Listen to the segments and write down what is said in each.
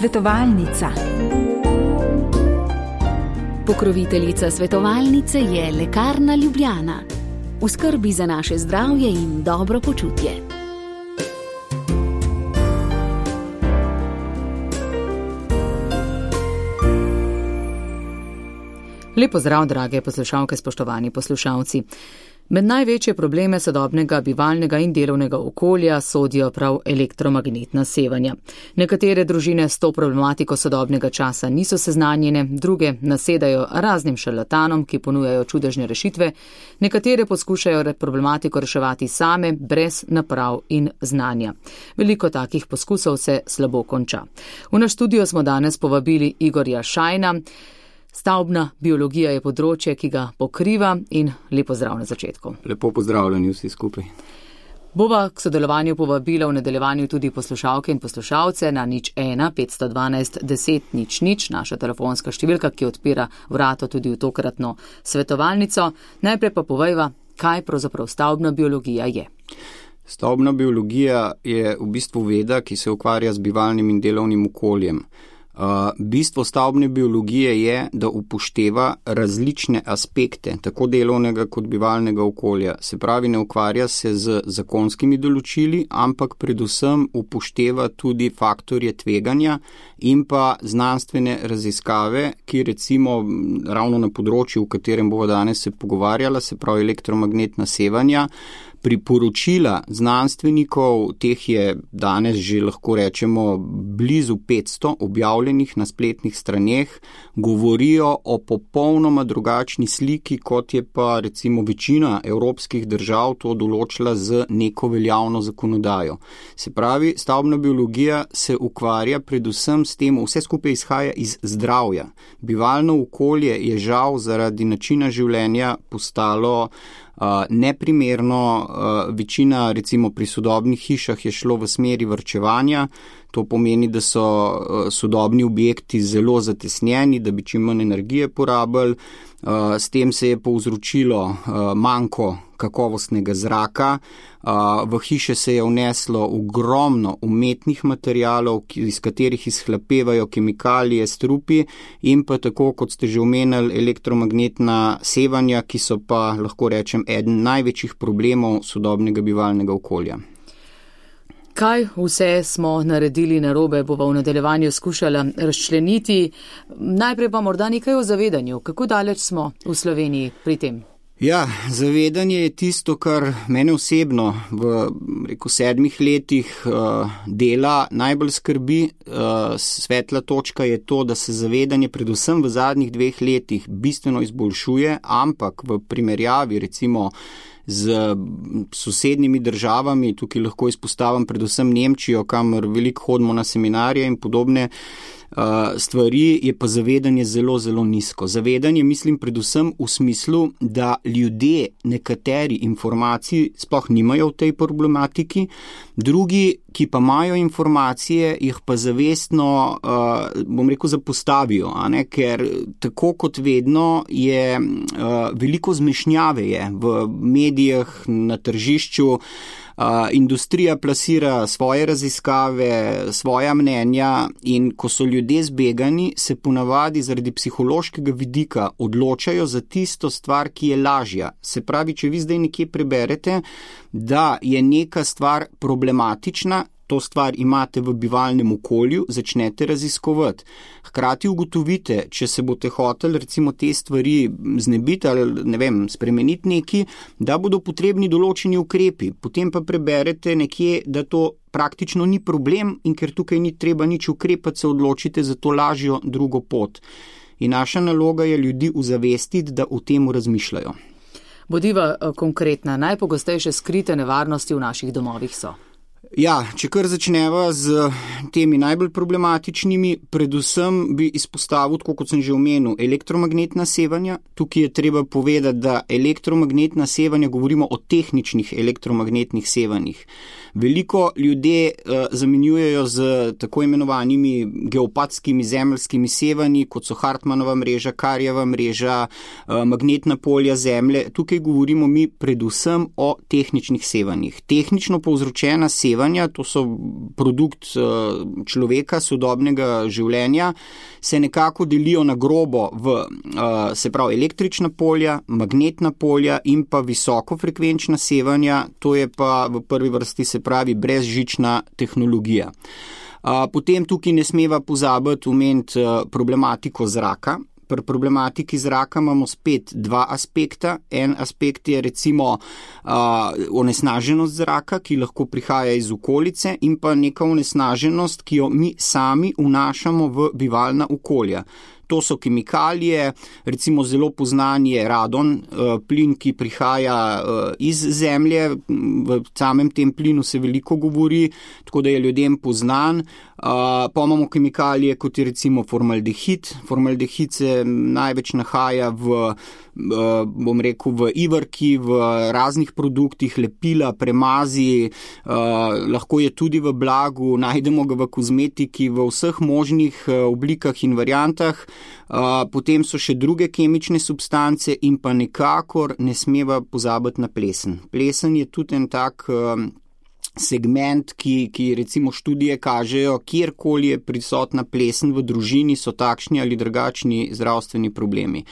Svetovalnica. Pokroviteljica svetovalnice je Lekarna Ljubljana. V skrbi za naše zdravje in dobro počutje. Lep pozdrav, drage poslušalke, spoštovani poslušalci. Med največje probleme sodobnega bivalnega in delovnega okolja sodijo prav elektromagnetna sevanja. Nekatere družine s to problematiko sodobnega časa niso seznanjene, druge nasedajo raznim šarlatanom, ki ponujajo čudežne rešitve, nekatere poskušajo problematiko reševati same, brez naprav in znanja. Veliko takih poskusov se slabo konča. V naš studio smo danes povabili Igorja Šajna. Stavbna biologija je področje, ki ga pokriva, in lepo zdrav na začetku. Lepo pozdravljeni vsi skupaj. Bova k sodelovanju povabila v nadaljevanju tudi poslušalke in poslušalce na 01 512 10 00, naša telefonska številka, ki odpira vrato tudi v tokratno svetovalnico. Najprej pa povejva, kaj pravzaprav stavbna biologija je. Stavbna biologija je v bistvu veda, ki se ukvarja z bivalnim in delovnim okoljem. Bistvo stavbne biologije je, da upošteva različne aspekte, tako delovnega kot bivalnega okolja. Se pravi, ne ukvarja se z zakonskimi določili, ampak predvsem upošteva tudi faktorje tveganja in pa znanstvene raziskave, ki recimo ravno na področju, v katerem bomo danes se pogovarjala, se pravi elektromagnetna sevanja, priporočila znanstvenikov, teh je danes že lahko rečemo blizu 500 objavljenih na spletnih straneh, govorijo o popolnoma drugačni sliki, kot je pa recimo večina evropskih držav to določila z neko veljavno zakonodajo. Se pravi, stavbna biologija se ukvarja predvsem s tem, vse skupaj izhaja iz zdravja. Bivalno okolje je žal zaradi načina življenja postalo neprimerno, večina recimo pri sodobnih hišah je šlo v smeri varčevanja, to pomeni, da so sodobni objekti zelo zatesnjeni, da bi čim manj energije porabili, s tem se je povzročilo manko kakovostnega zraka, v hiše se je vneslo ogromno umetnih materialov, iz katerih izhlapevajo kemikalije, strupi in pa tako, kot ste že omenili, elektromagnetna sevanja, ki so pa, lahko rečem, eden največjih problemov sodobnega bivalnega okolja. Kaj vse smo naredili narobe, bova v nadaljevanju skušala razčleniti. Najprej pa morda nekaj o zavedanju. Kako daleč smo v Sloveniji pri tem? Ja, zavedanje je tisto, kar mene osebno v 7 letih dela najbolj skrbi. Svetla točka je to, da se zavedanje predvsem v zadnjih 2 letih bistveno izboljšuje, ampak v primerjavi recimo z sosednjimi državami, tukaj lahko izpostavim predvsem Nemčijo, kamor veliko hodimo na seminarje in podobne stvari, je pa zavedanje zelo, zelo nizko. Zavedanje mislim predvsem v smislu, da ljudje nekateri informacij sploh nimajo v tej problematiki, drugi, ki pa imajo informacije, jih pa zavestno, zapostavijo, ker tako kot vedno je veliko zmešnjave je v medijih, na tržišču. Industrija plasira svoje raziskave, svoja mnenja in ko so ljudje zbegani, se ponavadi zaradi psihološkega vidika odločajo za tisto stvar, ki je lažja. Se pravi, če vi zdaj nekje preberete, da je neka stvar problematična, to stvar imate v bivalnem okolju, začnete raziskovati. Hkrati ugotovite, če se boste hoteli recimo te stvari znebiti ali spremeniti neki, da bodo potrebni določeni ukrepi. Potem pa preberete nekje, da to praktično ni problem in ker tukaj ni treba nič ukrepati, se odločite za to lažjo drugo pot. In naša naloga je ljudi uzavestiti, da o tem razmišljajo. Bodiva konkretna, najpogostejše skrite nevarnosti v naših domovih so. Ja, če kar začneva z temi najbolj problematičnimi, predvsem bi izpostavil, tako kot sem že omenil, elektromagnetna sevanja. Tukaj je treba povedati, da elektromagnetna sevanja, govorimo o tehničnih elektromagnetnih sevanjih. Veliko ljudje zamenjujejo z tako imenovanimi geopatskimi zemeljskimi sevanji, kot so Hartmannova mreža, Karjeva mreža, magnetna polja zemlje. Tukaj govorimo mi predvsem o tehničnih sevanjih. Tehnično povzročena sevanja sevanja, to so produkt človeka, sodobnega življenja, se nekako delijo na grobo v, se pravi, električna polja, magnetna polja in pa visokofrekvenčna sevanja, to je pa v prvi vrsti, se pravi, brezžična tehnologija. Potem tukaj ne smeva pozabiti omeniti problematiko zraka. Pri problematiki zraka imamo spet dva aspekta. En aspekt je recimo onesnaženost zraka, ki lahko prihaja iz okolice, in pa neka onesnaženost, ki jo mi sami vnašamo v bivalna okolja. To so kemikalije, recimo zelo poznan je radon, plin, ki prihaja iz zemlje, v samem tem plinu se veliko govori, tako da je ljudem poznan. Pa imamo kemikalije, kot je recimo formaldehid. Formaldehid se največ nahaja v ivarki, v raznih produktih, lepila, premazi, lahko je tudi v blagu, najdemo ga v kozmetiki, v vseh možnih oblikah in variantah. Potem so še druge kemične substance in pa nekakor ne smeva pozabiti na plesen. Plesen je tudi en tak segment, ki recimo študije kažejo, kjerkoli je prisotna plesen v družini, so takšni ali drugačni zdravstveni problemi.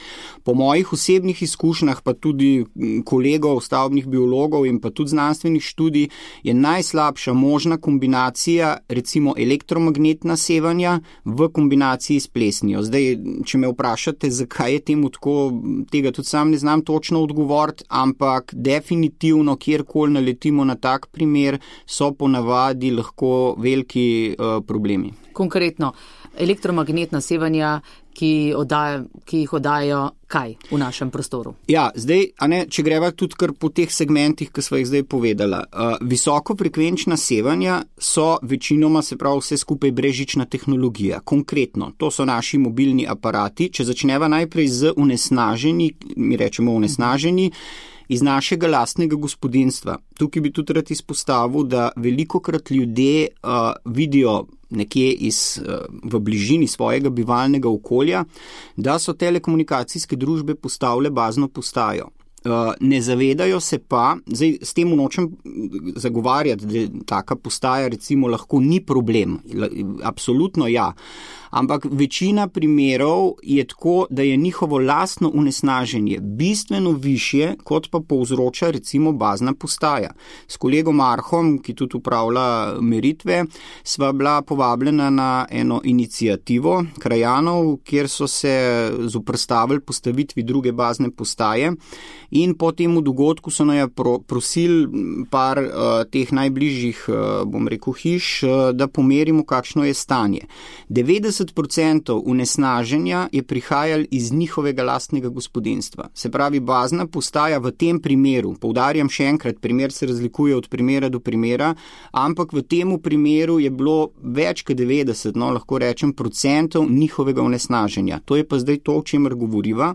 Po mojih osebnih izkušnjah, pa tudi kolegov, stavbnih biologov in pa tudi znanstvenih študij, je najslabša možna kombinacija recimo elektromagnetna sevanja v kombinaciji s plesnijo. Zdaj, če me vprašate, zakaj je temu tako, tega tudi sam ne znam točno odgovoriti, ampak definitivno, kjerkoli naletimo na tak primer, so ponavadi lahko veliki problemi. Konkretno, elektromagnetna sevanja, ki jih oddajajo kaj v našem prostoru? Ja, zdaj, če greva tudi kar po teh segmentih, ki sva jih zdaj povedala. Visokofrekvenčna sevanja so večinoma, se pravi, vse skupaj brezžična tehnologija. Konkretno, to so naši mobilni aparati. Če začneva najprej z onesnaženi, mi rečemo onesnaženi, iz našega lastnega gospodinjstva. Tukaj bi tudi rad izpostavil, da velikokrat ljudje vidijo nekje v bližini svojega bivalnega okolja, da so telekomunikacijske družbe postavile bazno postajo. Ne zavedajo se pa, zdaj s tem nočem zagovarjati, da taka postaja recimo lahko ni problem, absolutno ja, ampak večina primerov je tako, da je njihovo lastno onesnaženje bistveno višje, kot pa povzroča recimo bazna postaja. S kolegom Arhom, ki tudi upravlja meritve, sva bila povabljena na eno inicijativo krajanov, kjer so se zoperstavili postavitvi druge bazne postaje, in po temu dogodku so naj prosili par teh najbližjih, bom rekel, hiš, da pomerimo, kakšno je stanje. 90% onesnaženja je prihajalo iz njihovega lastnega gospodinjstva. Se pravi, bazna postaja v tem primeru, poudarjam še enkrat, primer se razlikuje od primera do primera, ampak v temu primeru je bilo več kot 90, lahko rečem, procentov njihovega onesnaženja. To je pa zdaj to, o čemer govoriva.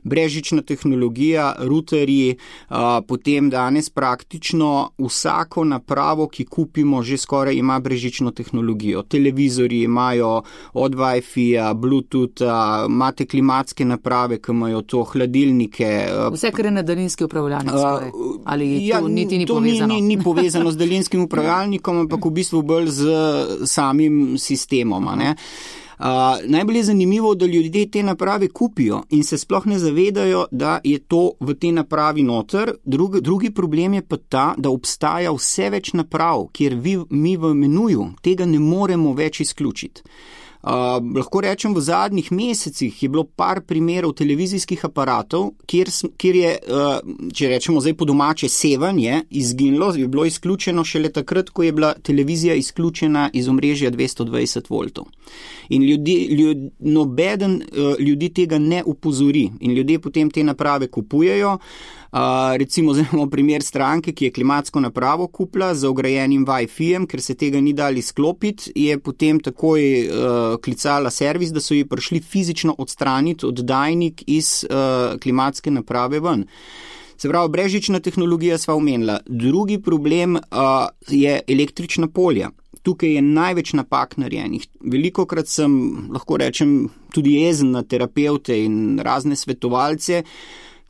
Brezžična tehnologija, ruterji, potem danes praktično vsako napravo, ki kupimo, že skoraj ima brezžično tehnologijo. Televizorji imajo od Wi-Fi-ja, Bluetootha, imate klimatske naprave, ki imajo to, hladilnike. Vse, kar je na daljinski upravljalnik skoraj. Ali to niti ni povezano? To ni povezano z daljinskim upravljalnikom, ampak v bistvu bolj z samim sistemom, ne? Najbolj je zanimivo, da ljudje te naprave kupijo in se sploh ne zavedajo, da je to v te napravi noter. Drugi problem je pa ta, da obstaja vse več naprav, kjer mi v menuju tega ne moremo več izključiti. Lahko rečem, v zadnjih mesecih je bilo par primerov televizijskih aparatov, kjer je, če rečemo zdaj po domače, sevanje izginilo, je bilo izključeno šele takrat, ko je bila televizija izključena iz omrežja 220 voltov. In nobeden ljudi tega ne opozori in ljudje potem te naprave kupujejo. Recimo imamo primer stranke, ki je klimatsko napravo kupila z vgrajenim Wi-Fi-jem, ker se tega ni dali sklopiti, je potem takoj klicala servis, da so ji prišli fizično odstraniti oddajnik iz klimatske naprave ven. Se pravi, brezžična tehnologija sva omenila. Drugi problem je električna polja. Tukaj je največ napak narejenih. Velikokrat sem, lahko rečem, tudi jezen na terapevte in razne svetovalce,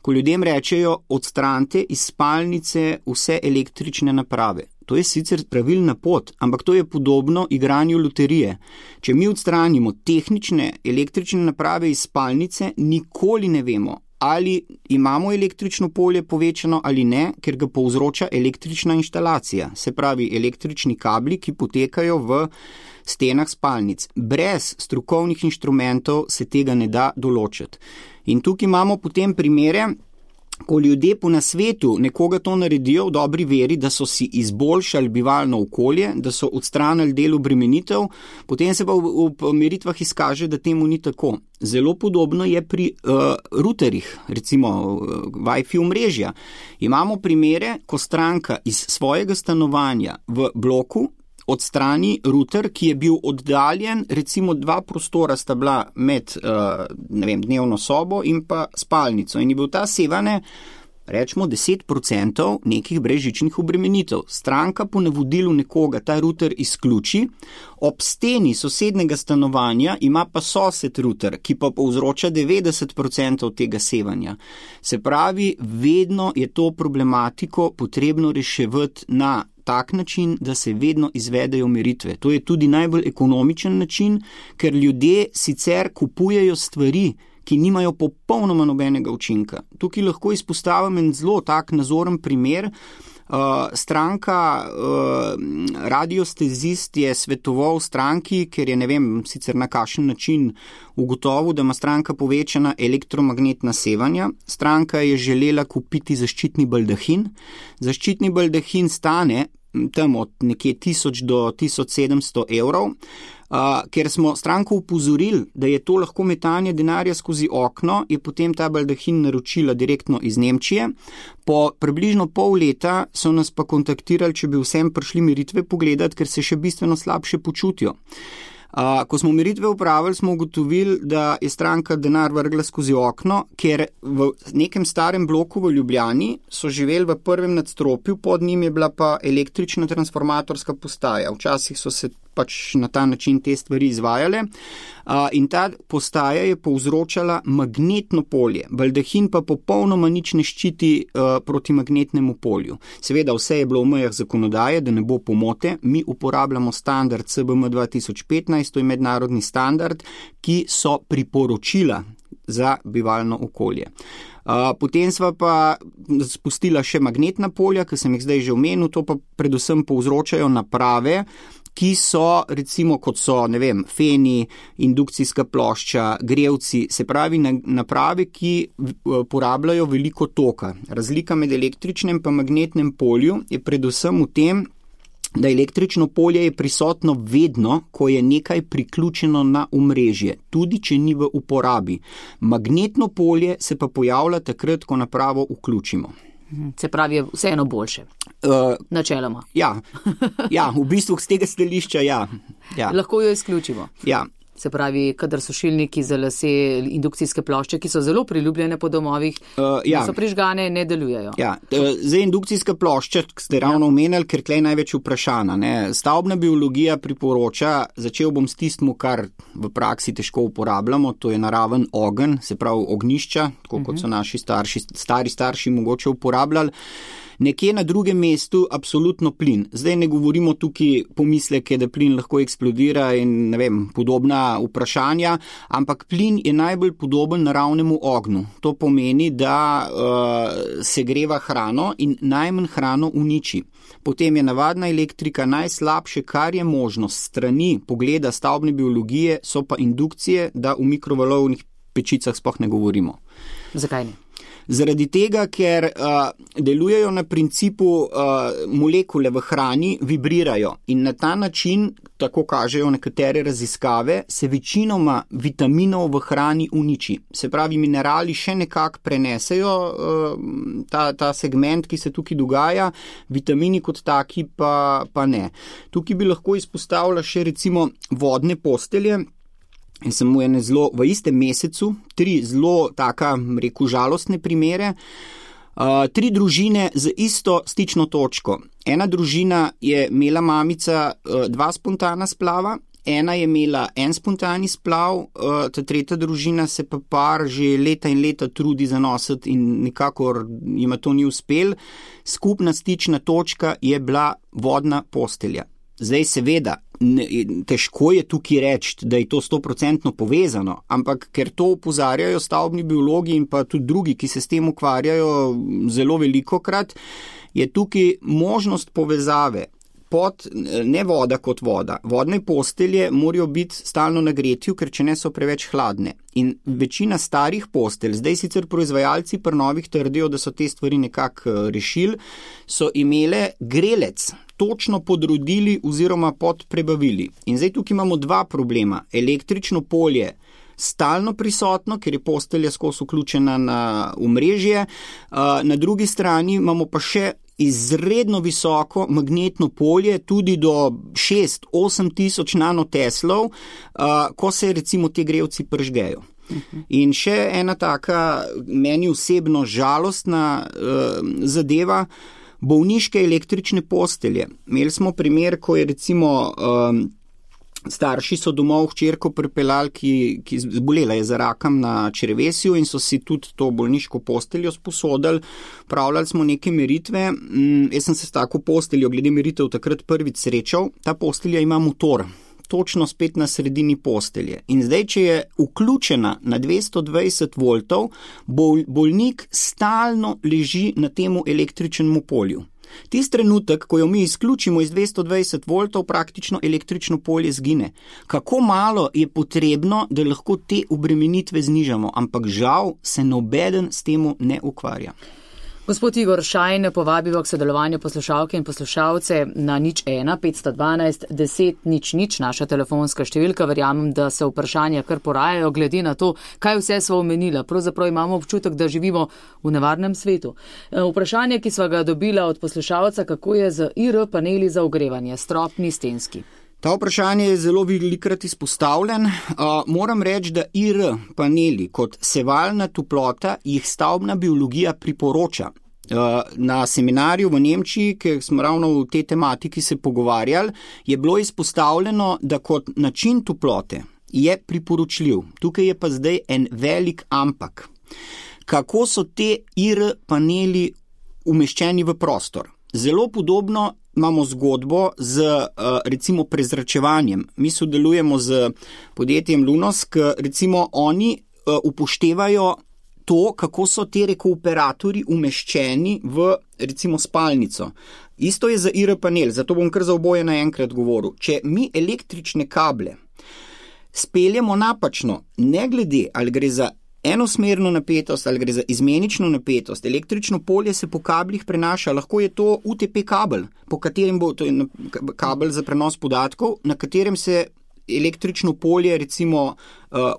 ko ljudem rečejo, odstranite iz spalnice vse električne naprave. To je sicer pravilna pot, ampak to je podobno igranju loterije. Če mi odstranimo tehnične električne naprave iz spalnice, nikoli ne vemo, ali imamo električno polje povečano ali ne, ker ga povzroča električna inštalacija, se pravi električni kabli, ki potekajo v stenah spalnic. Brez strokovnih inštrumentov se tega ne da določiti. In tukaj imamo potem primere, ko ljudje po nasvetu nekoga to naredijo v dobri veri, da so si izboljšali bivalno okolje, da so odstranili del obremenitev, potem se pa v meritvah izkaže, da temu ni tako. Zelo podobno je pri routerjih, recimo Wi-Fi omrežja. Imamo primere, ko stranka iz svojega stanovanja v bloku odstrani router, ki je bil oddaljen, recimo 2 prostora sta bila med dnevno sobo in pa spalnico in je bil ta sevane, rečemo 10% nekih brezžičnih obremenitev. Stranka po navodilu nekoga ta router izključi, ob steni sosednega stanovanja ima pa sosed router, ki pa povzroča 90% tega sevanja. Se pravi, vedno je to problematiko potrebno reševati na tak način, da se vedno izvedejo meritve. To je tudi najbolj ekonomičen način, ker ljudje sicer kupujejo stvari, ki nimajo popolnoma nobenega učinka. Tukaj lahko izpostavim en zelo tak nazoren primer. Stranka radiostezist je svetoval stranki, ker je ne vem sicer na kakšen način ugotovil, da ima stranka povečana elektromagnetna sevanja. Stranka je želela kupiti zaščitni baldahin. Zaščitni baldahin stane tam od nekje 1000 do 1700 evrov. Ker smo stranko upozorili, da je to lahko metanje denarja skozi okno, je potem ta baldahin naročila direktno iz Nemčije. Po približno pol leta so nas pa kontaktirali, če bi vsem prišli meritve pogledati, ker se še bistveno slabše počutijo. Ko smo meritve upravili, smo ugotovili, da je stranka denar vrgla skozi okno, ker v nekem starem bloku v Ljubljani so živeli v prvem nadstropju, pod njim je bila pa električna transformatorska postaja. Včasih so se pač na ta način te stvari izvajale in ta postaja je povzročala magnetno polje. Baldahin pa popolnoma nič ne ščiti proti magnetnemu polju. Seveda vse je bilo v mejah zakonodaje, da ne bo pomote. Mi uporabljamo standard CBM 2015, to je mednarodni standard, ki so priporočila za bivalno okolje. Potem sva pa spustila še magnetna polja, ki sem jih zdaj že omenil, to pa predvsem povzročajo naprave, ki so recimo kot so, ne vem, feni, indukcijska plošča, grevci, se pravi naprave, ki porabljajo veliko toka. Razlika med električnem pa magnetnem polju je predvsem v tem, da električno polje je prisotno vedno, ko je nekaj priključeno na omrežje, tudi če ni v uporabi. Magnetno polje se pa pojavlja takrat, ko napravo vključimo. Se pravi, je vseeno boljše, načeloma. Ja, v bistvu z tega stališča, ja. Lahko jo izključimo. Ja. Se pravi, kadar sušilniki za lase, indukcijske plošče, ki so zelo priljubljene po domovih, so prižgane, ne delujejo. Ja, zdaj indukcijska plošča, ste ravno omenili, ker tle je največ vprašana. Stavbna biologija priporoča, začel bom s tistim, kar v praksi težko uporabljamo, to je naraven ogenj, se pravi ognjišča, tako kot so naši stari starši mogoče uporabljali. Nekje na drugem mestu absolutno plin. Zdaj ne govorimo tukaj pomisleke, da plin lahko eksplodira in ne vem, podobna vprašanja, ampak plin je najbolj podoben naravnemu ognju. To pomeni, da segreva hrano in najmanj hrano uniči. Potem je navadna elektrika najslabše, kar je možno strani pogleda stavbne biologije, so pa indukcije, da v mikrovalovnih pečicah sploh ne govorimo. Zakaj ne? Zaradi tega, ker delujejo na principu molekule v hrani vibrirajo in na ta način, tako kažejo nekatere raziskave, se večinoma vitaminov v hrani uniči. Se pravi, minerali še nekako prenesejo ta segment, ki se tukaj dogaja, vitamini kot taki pa ne. Tukaj bi lahko izpostavila še recimo vodne postelje. In sem v istem mesecu 3 zelo taka, rekel, žalostne primere. 3 družine z isto stično točko. Ena družina je imela mamica 2 spontana splava ena je imela en spontani splav, ta tretja družina se pa par že leta in leta trudi zanositi in nikakor jima to ni uspel. Skupna stična točka je bila vodna postelja. Zdaj seveda, težko je tukaj reči, da je to 100% povezano, ampak ker to opozarjajo stavbni biologi in pa tudi drugi, ki se s tem ukvarjajo zelo velikokrat, je tukaj možnost povezave pod, ne voda kot voda. Vodne postelje morajo biti stalno na gretju, ker če ne so preveč hladne. In večina starih postelj, zdaj sicer proizvajalci pri novih trdijo, da so te stvari nekako rešili, so imele grelec točno podrodili oziroma podprebavili. In zdaj tukaj imamo dva problema. Električno polje stalno prisotno, ker je postelja skozi vključena na omrežje, na drugi strani imamo pa še izredno visoko magnetno polje, tudi do 6-8 tisoč nanoteslov, ko se recimo te grelci pržgejo. In še ena taka meni osebno žalostna zadeva, bolniške električne postelje. Imeli smo primer, ko je recimo starši so domov hčerko pripeljali, ki zbolela je za rakom na črevesju in so si tudi to bolniško posteljo sposodili. Pravljali smo neke meritve. Jaz sem se s tako posteljo glede meritev takrat prvič srečal. Ta postelja ima motor, točno spet na sredini postelje. In zdaj, če je vključena na 220 voltov, bolnik stalno leži na temu električnemu polju. Tist trenutek, ko jo mi izključimo iz 220 voltov, praktično električno polje zgine. Kako malo je potrebno, da lahko te obremenitve znižamo, ampak žal se nobeden s temu ne ukvarja. Gospod Igor Šajn, povabimo k sodelovanju poslušalke in poslušalce na 01 512 10 00, naša telefonska številka. Verjamem, da se vprašanja kar porajajo, glede na to, kaj vse sva omenila. Pravzaprav imamo občutek, da živimo v nevarnem svetu. Vprašanje, ki sva ga dobila od poslušalca, kako je z IR paneli za ogrevanje, stropni, stenski. Ta vprašanje je zelo velikokrat izpostavljen. Moram reči, da IR paneli kot sevalna toplota jih stavbna biologija priporoča. Na seminarju v Nemčiji, ker smo ravno v tej tematiki se pogovarjali, je bilo izpostavljeno, da kot način toplote je priporočljiv. Tukaj je pa zdaj en velik ampak. Kako so te IR paneli umeščeni v prostor? Zelo podobno imamo zgodbo z recimo prezračevanjem. Mi sodelujemo z podjetjem Lunos, recimo oni upoštevajo to, kako so te rekuperatorji umeščeni v recimo spalnico. Isto je za IR panel, zato bom kar za oboje naenkrat govoril. Če mi električne kable speljemo napačno, ne glede ali gre za enosmerno napetost ali gre za izmenično napetost, električno polje se po kablih prenaša, lahko je to UTP kabel, po katerem bo to kabel za prenos podatkov, na katerem se električno polje recimo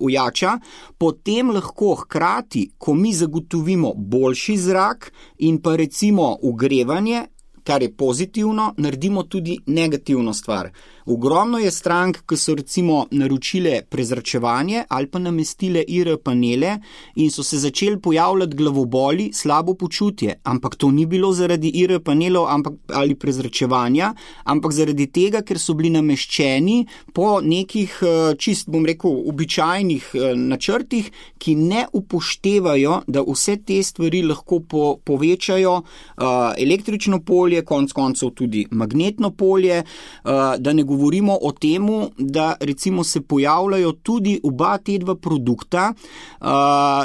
ujača, potem lahko hkrati, ko mi zagotovimo boljši zrak in pa recimo ogrevanje, kar je pozitivno, naredimo tudi negativno stvar. Ogromno je strank, ki so recimo naročile prezračevanje ali pa namestile IR panele in so se začeli pojavljati glavoboli, slabo počutje, ampak to ni bilo zaradi IR panelov ali prezračevanja, ampak zaradi tega, ker so bili nameščeni po nekih čist, bom rekel, običajnih načrtih, ki ne upoštevajo, da vse te stvari lahko povečajo električno polje, konec koncev tudi magnetno polje, da ne govorimo o temu, da recimo se pojavljajo tudi oba te dva produkta,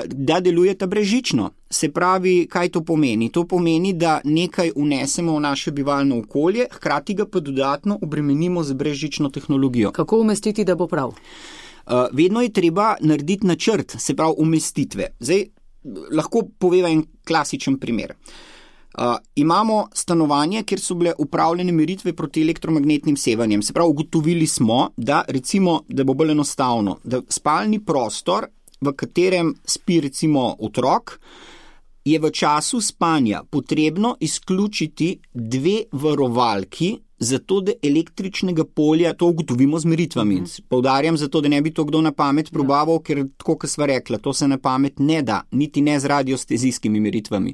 da delujeta brezžično. Se pravi, kaj to pomeni? To pomeni, da nekaj vnesemo v naše bivalno okolje, hkrati ga pa dodatno obremenimo z brezžično tehnologijo. Kako umestiti, da bo prav? Vedno je treba narediti načrt, se pravi umestitve. Zdaj, lahko poveva en klasičen primer. Imamo stanovanje, kjer so bile upravljene meritve proti elektromagnetnim sevanjem. Se pravi, ugotovili smo, da recimo, da bo bolj enostavno, da spalni prostor, v katerem spi recimo otrok, je v času spanja potrebno izključiti 2 varovalki, zato da električnega polja, to ugotovimo z meritvami. Poudarjam zato, da ne bi to kdo na pamet probaval, ker tako, kot sva rekla, to se na pamet ne da, niti ne z radiostezijskimi meritvami.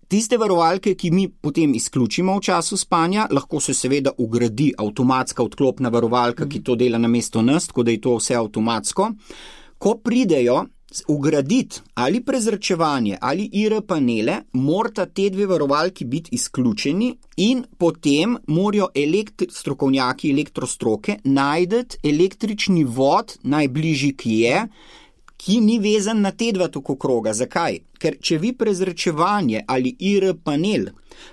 Tiste varovalke, ki mi potem izključimo v času spanja, lahko se seveda ugradi avtomatska odklopna varovalka, ki to dela namesto nas, tako da je to vse avtomatsko. Ko pridejo ugraditi ali prezračevanje ali IR panele, morata te dve varovalki biti izključeni in potem morajo strokovnjaki elektrostroke najdeti električni vod, najbližji ki je, ki ni vezan na te dva tokokroga. Zakaj? Ker če vi prezračevanje ali IR panel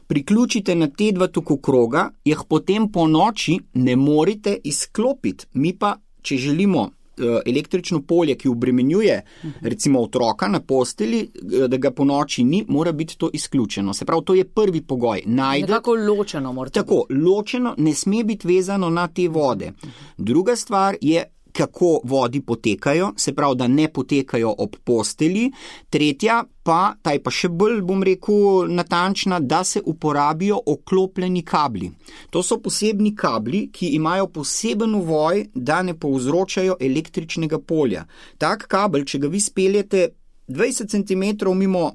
priključite na te dva tokokroga, jih potem po noči ne morete izklopiti. Mi pa, če želimo električno polje, ki obremenjuje recimo otroka na posteli, da ga po noči ni, mora biti to izključeno. Se pravi, to je prvi pogoj. Nekako ločeno mora biti. Tako, ločeno, ne sme biti vezano na te vode. Druga stvar je, kako vodi potekajo, se pravi, da ne potekajo ob posteli. Tretja pa, ta je pa še bolj, bom rekel, natančna, da se uporabijo oklopljeni kabli. To so posebni kabli, ki imajo poseben uvoj, da ne povzročajo električnega polja. Tak kabel, če ga vi speljete 20 cm mimo,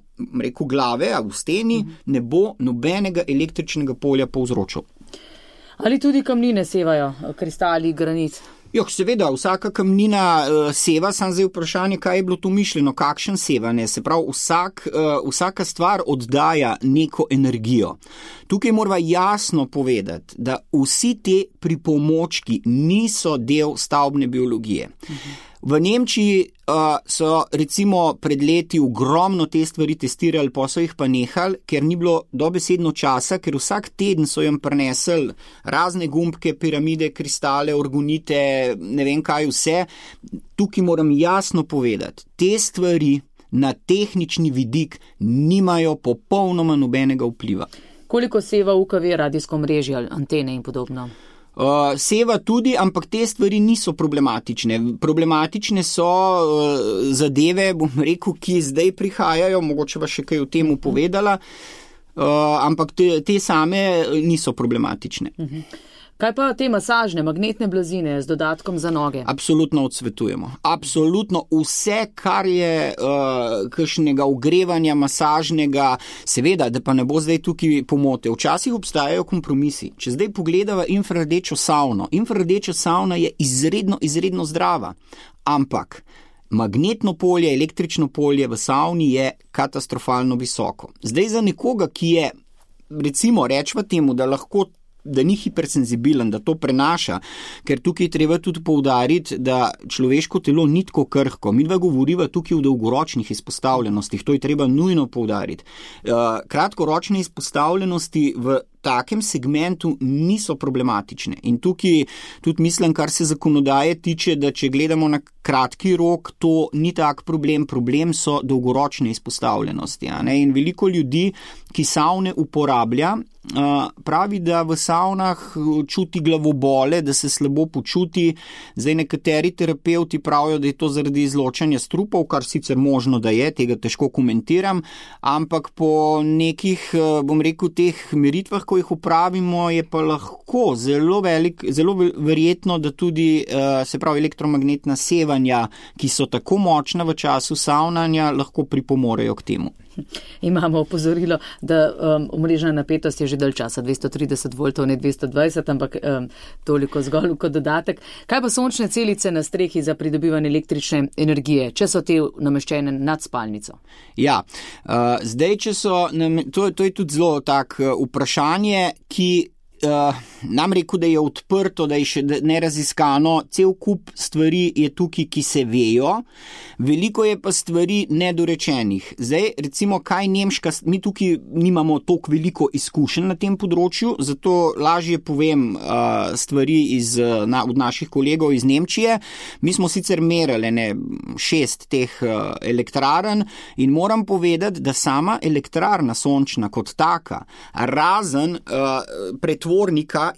rekel, glave, a v steni, ne bo nobenega električnega polja povzročal. Ali tudi kamnine sevajo, kristali, granit? Seveda, vsaka kamnina seva, samo zdaj vprašanje, kaj je bilo to mišljeno, kakšen sevanje. Se pravi, vsaka stvar oddaja neko energijo. Tukaj moramo jasno povedati, da vsi te pripomočki niso del stavbne biologije. V Nemčiji so recimo pred leti ogromno te stvari testirali, pa so jih pa nehali, ker ni bilo dobesedno časa, ker vsak teden so jim prinesli razne gumbke, piramide, kristale, orgonite, ne vem kaj vse. Tukaj moram jasno povedati, te stvari na tehnični vidik nimajo popolnoma nobenega vpliva. Koliko seva UKV, radijsko mrežje, antene in podobno? Seva tudi, ampak te stvari niso problematične. Problematične so zadeve, bom rekel, ki zdaj prihajajo, mogoče pa še kaj o tem povedala, ampak te same niso problematične. Kaj pa te masažne, magnetne blazine z dodatkom za noge? Absolutno odsvetujemo. Absolutno vse, kar je kakšnega ogrevanja, masažnega, seveda, da pa ne bo zdaj tukaj pomote. Včasih obstajajo kompromisi. Če zdaj pogledava infrardečo savno. Infrardeča savna je izredno zdrava, ampak magnetno polje, električno polje v savni je katastrofalno visoko. Zdaj za nekoga, ki je, recimo, rečva temu, da ni hipersenzibilen, da to prenaša, ker tukaj treba tudi poudariti, da človeško telo ni tako krhko. Midva govoriva tukaj o dolgoročnih izpostavljenostih, to je treba nujno poudariti. Kratkoročne izpostavljenosti v takem segmentu niso problematične. In tukaj tudi mislim, kar se zakonodaje tiče, da če gledamo na kratki rok, to ni tak problem. Problem so dolgoročne izpostavljenosti. In veliko ljudi, ki savne uporablja, pravi, da v savnah čuti glavobole, da se slabo počuti. Zdaj nekateri terapeuti pravijo, da je to zaradi izločanja strupov, kar sicer možno, da je, tega težko komentiram, ampak po nekih, bom rekel, teh meritvah, ko jih upravimo, je pa lahko zelo verjetno, da tudi, se pravi, elektromagnetna sevanja, ki so tako močna v času savnanja, lahko pripomorejo k temu. Imamo opozorilo, da omrežna napetost je že dalj časa, 230 voltov, ne 220, ampak toliko zgolj kot dodatek. Kaj pa sončne celice na strehi za pridobivanje električne energije, če so te nameščene nad spalnico? Ja, zdaj, če so, to je tudi zelo tak vprašanje, ki nam rekel, da je odprto, da je še neraziskano, cel kup stvari je tukaj, ki se vejo, veliko je pa stvari nedorečenih. Zdaj, recimo, kaj Nemška, mi tukaj nimamo toliko veliko izkušenj na tem področju, zato lažje povem stvari od naših kolegov iz Nemčije. Mi smo sicer merili 6 teh elektrarn in moram povedati, da sama elektrarna sončna kot taka, razen pretvornika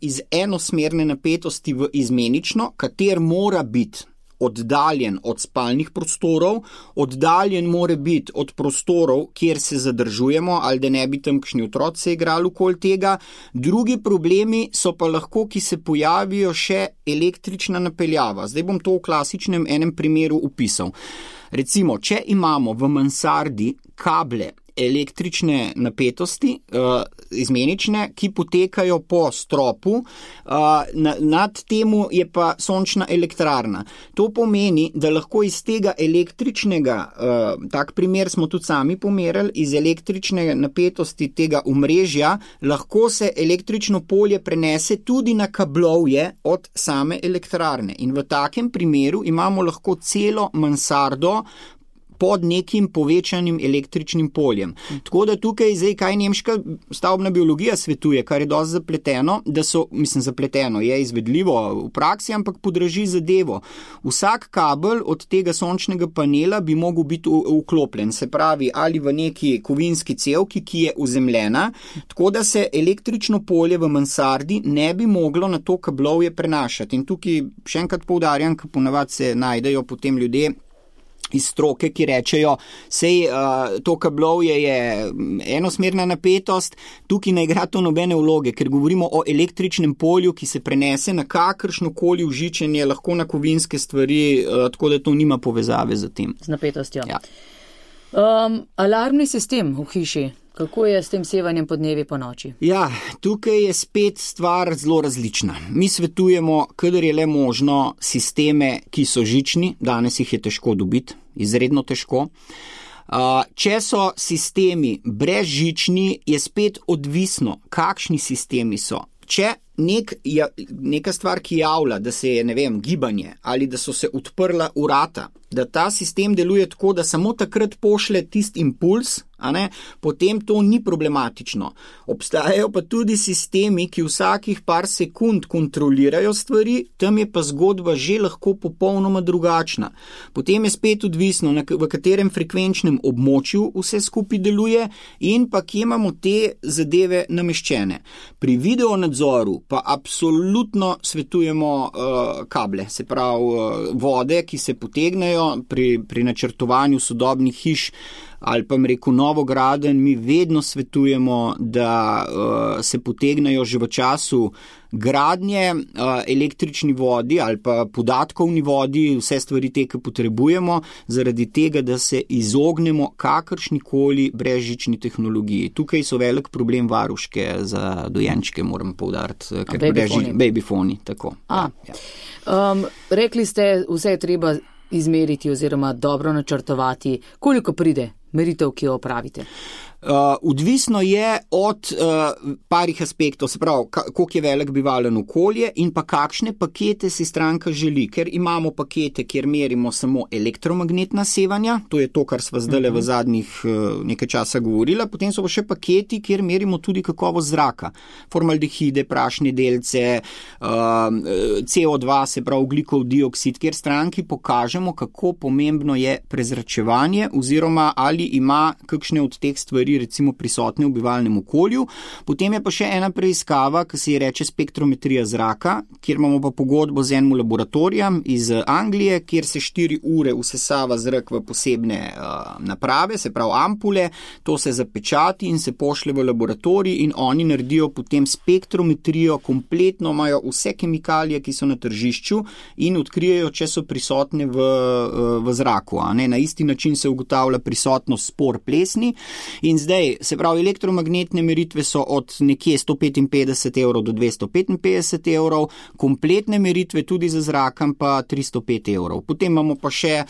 iz enosmerne napetosti v izmenično, kater mora biti oddaljen od spalnih prostorov, oddaljen mora biti od prostorov, kjer se zadržujemo, ali da ne bi tam kakšni otroci igrali okoli tega. Drugi problemi so pa lahko, ki se pojavijo še električna napeljava. Zdaj bom to v klasičnem enem primeru opisal. Recimo, če imamo v mansardi kable električne napetosti, izmenične, ki potekajo po stropu, nad temu je pa sončna elektrarna. To pomeni, da lahko iz tega električnega, tak primer smo tudi sami pomerili, iz električne napetosti tega omrežja, lahko se električno polje prenese tudi na kablovje od same elektrarne. In v takem primeru imamo lahko celo mansardo pod nekim povečanim električnim poljem. Tako da tukaj zdaj, kaj nemška stavbna biologija svetuje, kar je dosti zapleteno, zapleteno je izvedljivo v praksi, ampak podraži zadevo. Vsak kabel od tega sončnega panela bi mogel biti vklopljen, se pravi, ali v neki kovinski cevki, ki je uzemljena, tako da se električno polje v mansardi ne bi moglo na to kablovje prenašati. In tukaj še enkrat poudarjam, ker ponavadi se najdejo potem ljudje iz stroke, ki rečejo, sej to kablovje je enosmerna napetost, tukaj ne igra to nobene vloge, ker govorimo o električnem polju, ki se prenese na kakršnokoli vžičenje, lahko na kovinske stvari, tako da to nima povezave z tem. Z napetostjo. Ja. Alarmni sistem v hiši. Kako je s tem sevanjem po dnevi po noči? Ja, tukaj je spet stvar zelo različna. Mi svetujemo, kadar je le možno, sisteme, ki so žični, danes jih je težko dobiti, izredno težko. Če so sistemi brezžični, je spet odvisno, kakšni sistemi so. Če neka stvar, ki javlja, da se je, gibanje ali da so se odprla vrata, da ta sistem deluje tako, da samo takrat pošle tisti impuls, potem to ni problematično. Obstajajo pa tudi sistemi, ki vsakih par sekund kontrolirajo stvari, tam je pa zgodba že lahko popolnoma drugačna. Potem je spet odvisno, v katerem frekvenčnem območju vse skupaj deluje in pa kje imamo te zadeve nameščene. Pri videonadzoru pa absolutno svetujemo kable, se pravi vode, ki se potegnejo pri načrtovanju sodobnih hiš ali pa novogradenj, mi vedno svetujemo, da se potegnejo že v času gradnje električni vodi ali pa podatkovni vodi, vse stvari te, ki potrebujemo, zaradi tega, da se izognemo kakršnikoli brezžični tehnologiji. Tukaj so velik problem varuške za dojenčke, moram poudariti, ker babyfoni, tako. Ja. Rekli ste, vse je treba izmeriti oziroma dobro načrtovati. Koliko pride meritev, ki jo opravite? Odvisno je od parih aspektov, se pravi, koliko je velik bivalen okolje in pa kakšne pakete si stranka želi, ker imamo pakete, kjer merimo samo elektromagnetna sevanja, to je to, kar sva zdaj v zadnjih nekaj časa govorila, potem so pa še paketi, kjer merimo tudi kakovost zraka, formaldehide, prašne delce, CO2, se pravi ogljikov dioksid, kjer stranki pokažemo, kako pomembno je prezračevanje oziroma ali ima kakšne od teh stvari recimo prisotne v bivalnem okolju. Potem je pa še ena preiskava, ki se ji reče spektrometrija zraka, kjer imamo pa pogodbo z enim laboratorijem iz Anglije, kjer se 4 ure usesava zrak v posebne naprave, se pravi ampule, to se zapečati in se pošle v laboratorij in oni naredijo potem spektrometrijo, kompletno imajo vse kemikalije, ki so na tržišču in odkrijejo, če so prisotne v zraku. Na isti način se ugotavlja prisotnost spor plesni in zdaj, se pravi, elektromagnetne meritve so od nekje 155 € do 255 €, kompletne meritve tudi za zrakom pa 305 €. Potem imamo pa še,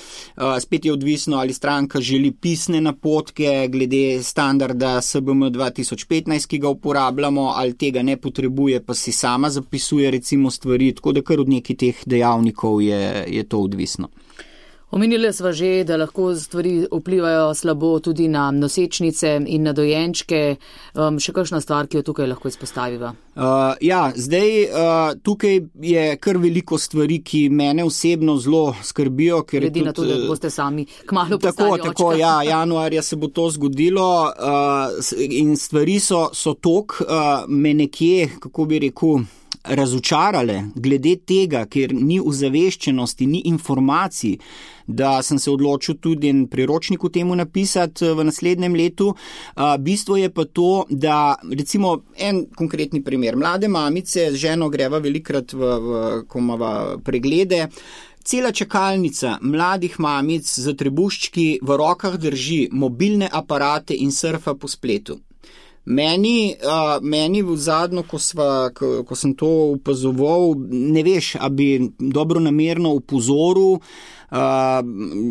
spet je odvisno, ali stranka želi pisne napotke glede standarda SBM 2015, ki ga uporabljamo, ali tega ne potrebuje, pa si sama zapisuje recimo stvari, tako da kar od nekih teh dejavnikov je to odvisno. Omenili sva že, da lahko stvari vplivajo slabo tudi na nosečnice in na dojenčke. Še kakšna stvar, ki jo tukaj lahko izpostaviva? Tukaj je kar veliko stvari, ki mene osebno zelo skrbijo. Glede na to, da boste sami kmalu postali očka. Tako, januarja se bo to zgodilo in stvari so tok, me nekje, kako bi rekel, razočarale glede tega, ker ni ozaveščenosti, ni informacij, da sem se odločil tudi en priročnik v temu napisati v naslednjem letu. Bistvo je pa to, da recimo en konkretni primer. Mlade mamice z ženo greva velikrat ko imava preglede, cela čakalnica mladih mamic za trebuščki v rokah drži mobilne aparate in surfa po spletu. Meni v zadnjo, ko sem to opazoval, ne veš, a bi dobro namerno upozoril,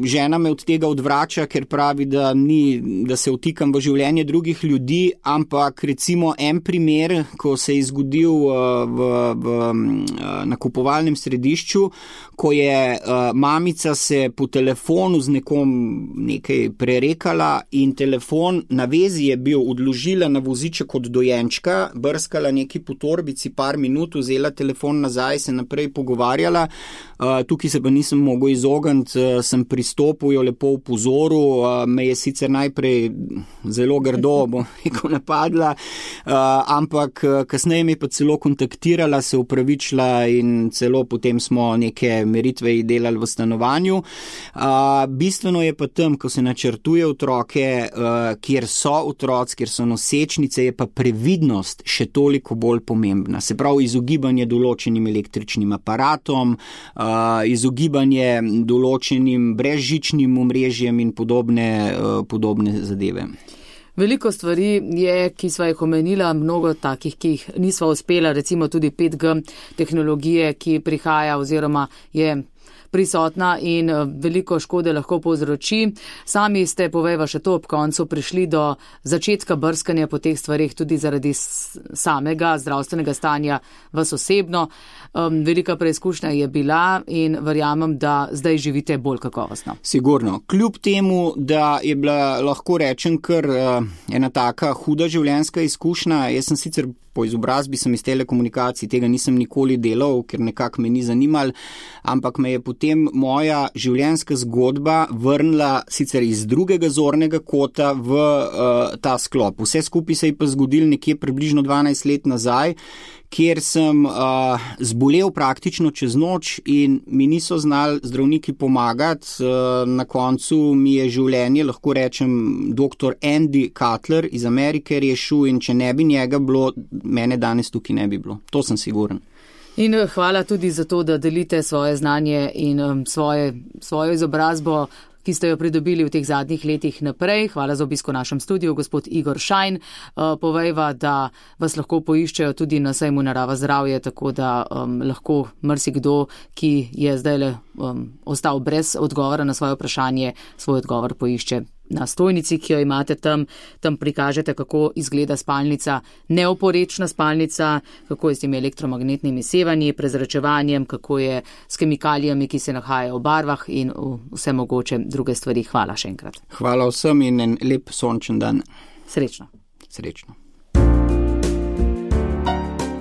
žena me od tega odvrača, ker pravi, da se vtikam v življenje drugih ljudi, ampak recimo en primer, ko se je zgodil v nakupovalnem središču, ko je mamica se po telefonu z nekom nekaj prerekala in telefon na vezi je bil, odložila na voziček od dojenčka, brskala neki po torbici par minut, vzela telefon nazaj, se naprej pogovarjala, tukaj se pa nisem mogel izogniti, sem pristopil, jo lepo upozoril, me je sicer najprej zelo grdo, bom rekel, napadla, ampak kasneje me pa celo kontaktirala, se upravičila in celo potem smo neke meritve delali v stanovanju. Bistveno je pa tam, ko se načrtuje otroke, kjer so otroci, kjer so nosečnice, je pa previdnost še toliko bolj pomembna. Se pravi, izogibanje določenim električnim aparatom, izogibanje določenim brezžičnim omrežjem in podobne zadeve. Veliko stvari je, ki sva jih omenila, mnogo takih, ki jih nisva uspela, recimo tudi 5G tehnologije, ki prihaja oziroma je prisotna in veliko škode lahko povzroči. Sami ste, povejva še to, ob koncu prišli do začetka brskanja po teh stvarih tudi zaradi samega zdravstvenega stanja vas osebno. Velika preizkušnja je bila in verjamem, da zdaj živite bolj kakovostno. Sigurno. Kljub temu, da je bila, lahko rečem, kar ena taka huda življenjska izkušnja, jaz sem sicer po izobrazbi sem iz telekomunikacij, tega nisem nikoli delal, ker nekako me ni zanimal, ampak me je potem moja življenjska zgodba vrnila sicer iz drugega zornega kota v ta sklop. Vse skupaj se je pa zgodil nekje približno 12 let nazaj, kjer sem zbolel praktično čez noč in mi niso znali zdravniki pomagati. Na koncu mi je življenje, lahko rečem, dr. Andy Cutler iz Amerike rešil in če ne bi njega bilo, mene danes tukaj ne bi bilo. To sem siguren. In hvala tudi za to, da delite svoje znanje in svojo izobrazbo, ki ste jo pridobili v teh zadnjih letih naprej. Hvala za obisko v našem studiu, gospod Igor Šajn. Povejva, da vas lahko poiščejo tudi na sejmu Narava zdravje, tako da lahko marsikdo, ki je zdaj ostal brez odgovora na svoje vprašanje, svoj odgovor poišče na stojnici, ki jo imate tam prikažete, kako izgleda spalnica, neoporečna spalnica, kako je s temi elektromagnetnimi sevanji, prezračevanjem, kako je s kemikalijami, ki se nahajajo v barvah in vse mogoče druge stvari. Hvala še enkrat. Hvala vsem in en lep sončen dan. Srečno. Srečno.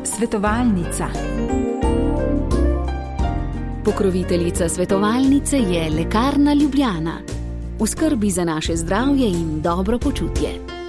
Svetovalnica. Pokroviteljica svetovalnice je Lekarna Ljubljana. V skrbi za naše zdravje in dobro počutje.